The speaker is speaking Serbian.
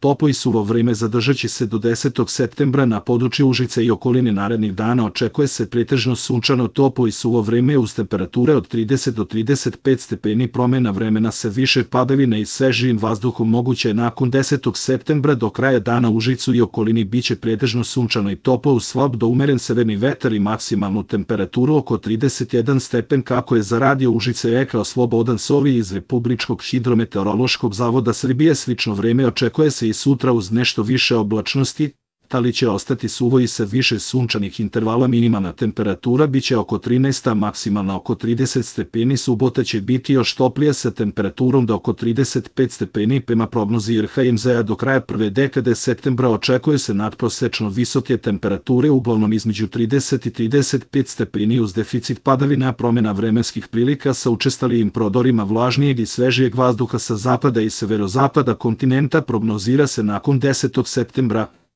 toplo i suvo vreme zadržat će se do 10. septembra na području Užice i okoline. Narednih dana očekuje se pretežno sunčano, toplo i suvo vreme uz temperature od 30 do 35 stepeni. Promena vremena sa više padavina i svežijim vazduhom moguće je nakon 10. septembra. Do kraja dana u Užicu i okolini biće pretežno sunčano i toplo uz slab do umeren severni vetar i maksimalnu temperaturu oko 31 stepen. Kako je za radio Užice rekao Slobodan Sovi iz Republičkog hidrometeorološkog zavoda Srbije, slično vreme očekuje se i sutra uz nešto više oblačnosti, ali će ostati suvo i sa više sunčanih intervala. Minimalna temperatura biće oko 13, a maksimalna oko 30 stepeni. Subota će biti još toplija sa temperaturom do oko 35 stepeni. Prema prognozi RHMZ-a do kraja prve dekade septembra očekuje se nadprosečno visoke temperature, uglavnom između 30 i 35 stepeni uz deficit padavina. Promena vremenskih prilika sa učestalijim prodorima vlažnijeg i svežijeg vazduha sa zapada i severozapada kontinenta prognozira se nakon 10. septembra.